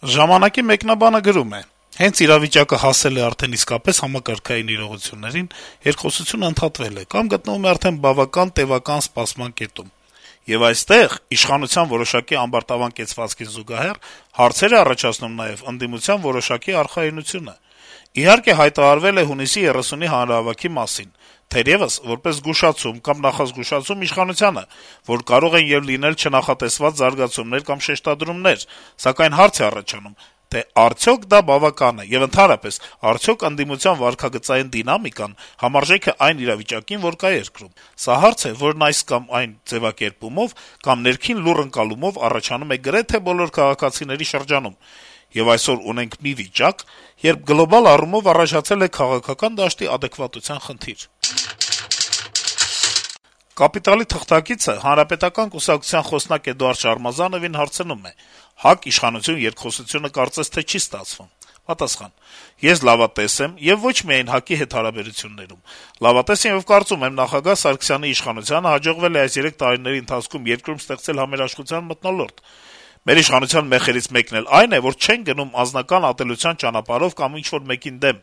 «Ժամանակ»-ի մեկնաբանը գրում է. - «Հենց իրավիճակը հասել է արդեն իսկապես համակարգային իրողություններին, երկխոսությունը ընդհատվել է կամ գտնվում է արդեն բավական տեւական սպասման կետում: Եվ այստեղ իշխանության որոշակի ամբարտավան կեցվածքին զուգահեռ հարցեր է առաջացնում նաեւ ընդդիմության որոշակի արխայունությունը: Իհարկե, հայտարարվել է հունիսի 30-ի հանրահավաքի մասին, թերեւս որպես զգուշացում կամ նախազգուշացում իշխանությանը, որ կարող են եւ լինել չնախատեսված զարգացումներ կամ շեշտադրումներ, սակայն հարց է առաջանում, թե արդյոք դա բավական է, եւ ընդհանրապես, արդյոք ընդդիմության վարքագծային դինամիկան համարժեք է այն իրավիճակին, որ կա երկրում: Սա հարց է, որն այս կամ այն ձեւակերպումով կամ ներքին լուռ ընկալումով առաջանում է գրեթե բոլոր քաղաքացիների շրջանում: Եվ այսօր ունենք մի վիճակ, երբ գլոբալ առումով առաջացել է քաղաքական դաշտի ադեկվատության խնդիր»: «Կապիտալ»-ի թղթակիցը Հանրապետական կուսակցության խոսնակ Էդուարդ Շարմազանովին հարցնում է. - «ՀԱԿ-իշխանություն երկխոսությունը կարծես թե չի ստացվում»: Պատասխան. - «Ես լավատես եմ եւ ոչ միայն ՀԱԿ-ի հետ հարաբերություններում: Լավատես եմ եւ կարծում եմ, նախագահ Սարգսյանի իշխանությանը հաջողվել է այս 3 տարիների ընթացքում երկրում ստեղծել համերաշխության մթնոլորտ: Մեր իշխանության մեխերից մեկն էլ այն է, որ չենք գնում անձնական ատելության ճանապարհով կամ ինչ-որ մեկին դեմ: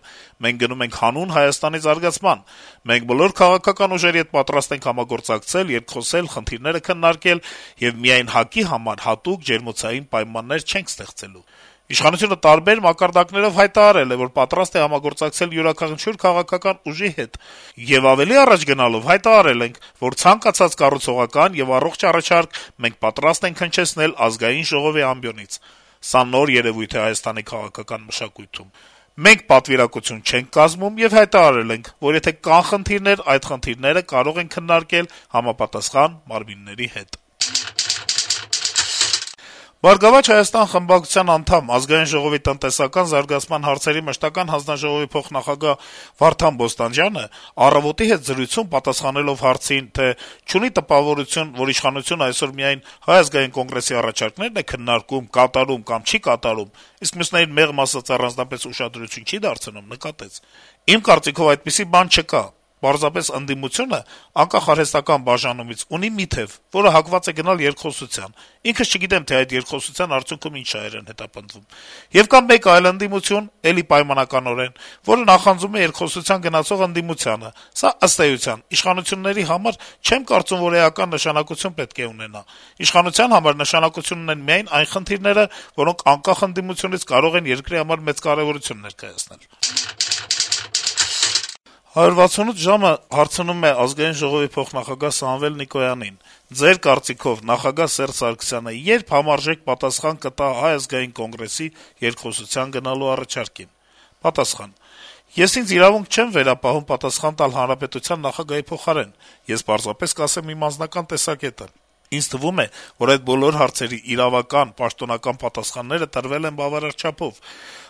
Մենք գնում ենք հանուն Հայաստանի զարգացման: Մենք բոլոր քաղաքական ուժերի հետ պատրաստ ենք համագործակցել, երկխոսել, խնդիրները քննարկել եւ միայն ՀԱԿ-ի համար հատուկ ջերմոցային պայմաններ չենք ստեղծելու: Իշխանությունը տարբեր մակարդակներով հայտարարել է, որ պատրաստ է համագործակցել յուրաքանչյուր քաղաքական ուժի հետ: Եվ ավելի առաջ գնալով հայտարարել ենք, որ ցանկացած կառուցողական եւ առողջ առաջարկ մենք պատրաստ ենք հնչեցնել Ազգային ժողովի ամբիոնից: Սա նոր երեւույթ է Հայաստանի քաղաքական մշակույթում: Մենք պատվիրակություն չենք կազմում եւ հայտարարել ենք, որ եթե կան խնդիրներ, այդ խնդիրները կարող ենք քննարկել համապատասխան մարմինների հետ»: «Բարգավաճ Հայաստան» խմբակցության անդամ, Ազգային ժողովի տնտեսական զարգացման հարցերի մշտական հանձնաժողովի փոխնախագահ Վարդան Բոստանջյանը «Առավոտ»-ի հետ զրույցում պատասխանելով հարցին, թե չունի տպավորություն, որ իշխանությունը այսօր միայն Հայ ազգային կոնգրեսի առաջարկներն է քննարկում, կատարում կամ չի կատարում, իսկ մյուսներին մեղմ ասած առանձնապես ուշադրություն չի դարձնում, նկատեց. - «Իմ կարծիքով այդպիսի բան չկա: Պարզապես ընդդիմությունը, անկախ արհեստական բաժանումից, ունի մի թեւ, որը հակված է գնալ երկխոսության: Ինքս չգիտեմ, թե այդ երկխոսության արդյունքում ինչ շահեր են հետապնդվում: Եվ կա մեկ այլ ընդդիմություն, էլի պայմանականորեն, որը նախանձում է երկխոսության գնացող ընդդիմությանը: Սա, ըստ էության, իշխանությունների համար չեմ կարծում, որ էական նշանակություն պետք է ունենա: Իշխանության համար նշանակություն ունեն միայն այն խնդիրները, որոնք անկախ ընդդիմությունից կարող են երկրի համար մեծ կարեւորություն ներկայացնել»: «168 ժամ»-ը հարցնում է Ազգային ժողովի փոխնախագահ Սամվել Նիկոյանին. - «Ձեր կարծիքով նախագահ Սերժ Սարգսյանը ե՞րբ համարժեք պատասխան կտա Հայ ազգային կոնգրեսի երկխոսության գնալու առաջարկին»: Պատասխան. - «Ես ինձ իրավունք չեմ վերապահում պատասխան տալ հանրապետության նախագահի փոխարեն: Ես պարզապես կասեմ իմ անձնական տեսակետը: Ինձ թվում է, որ այդ բոլոր հարցերի իրավական, պաշտոնական պատասխանները տրվել են բավարար չափով: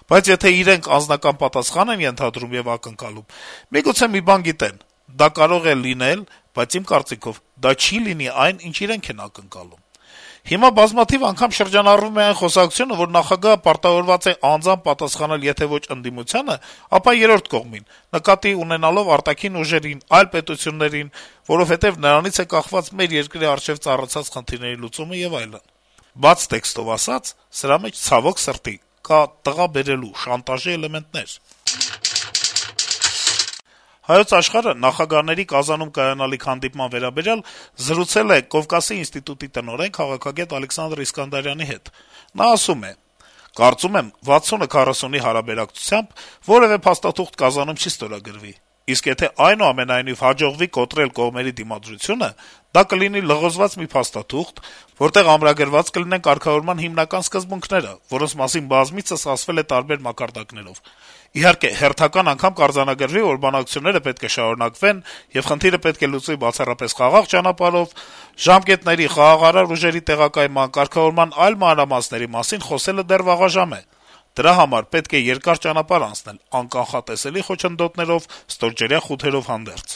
Բայց եթե իրենք անձնական պատասխան են ենթադրում եւ ակնկալում, միգուցե մի բան գիտեն: Դա կարող է լինել, բայց իմ կարծիքով դա չի լինի այն, ինչ իրենք են ակնկալում: Հիմա բազմաթիվ անգամ շրջանառվում է այն խոսակցությունը, որ նախագահը պարտավորված է անձամբ պատասխանել եթե ոչ ընդդիմությանը, ապա երրորդ կողմին, նկատի ունենալով արտաքին ուժերին, այլ պետություններին, որովհետեւ նրանից է կախված մեր երկրի առջեւ ծառացած խնդիրների լուծումը եւ այլն: Բաց տեքստով ասած, սրա մեջ, ցավոք սրտի, կա տղա բերելու, շանտաժի էլեմենտներ»: «Հայոց Աշխարհ»-ը նախագահների Կազանում կայանալիք հանդիպման վերաբերյալ զրուցել է Կովկասի ինստիտուտի տնօրեն, քաղաքագետ Ալեքսանդր Իսկանդարյանի հետ: Նա ասում է. - «Կարծում եմ, 60-40-ի հարաբերակցությամբ որեւէ փաստաթուղթ Կազանում չի ստորագրվի: Իսկ եթե այնուամենայնիվ հաջողվի կոտրել կողմերի դիմադրությունը, դա կլինի լղոզված մի փաստաթուղթ, որտեղ ամրագրված կլինեն կարգավորման հիմնական սկզբունքները, որոնց մասին բազմիցս ասվել է տարբեր մակարդակներով: Իհարկե, հերթական անգամ կարձանագրվի, որ բանակցությունները պետք է շարունակվեն, եւ խնդիրը պետք է լուծվի բացառապես խաղաղ ճանապարհով: Ժամկետների, խաղաղարար ուժերի տեղակայման, կարգավորման այլ մանրամասների մասին խոսելը դեռ վաղաժամ է: Դրա համար պետք է երկար ճանապարհ անցնել, անկանխատեսելի խոչընդոտներով, ստորջրյա խութերով հանդերձ»: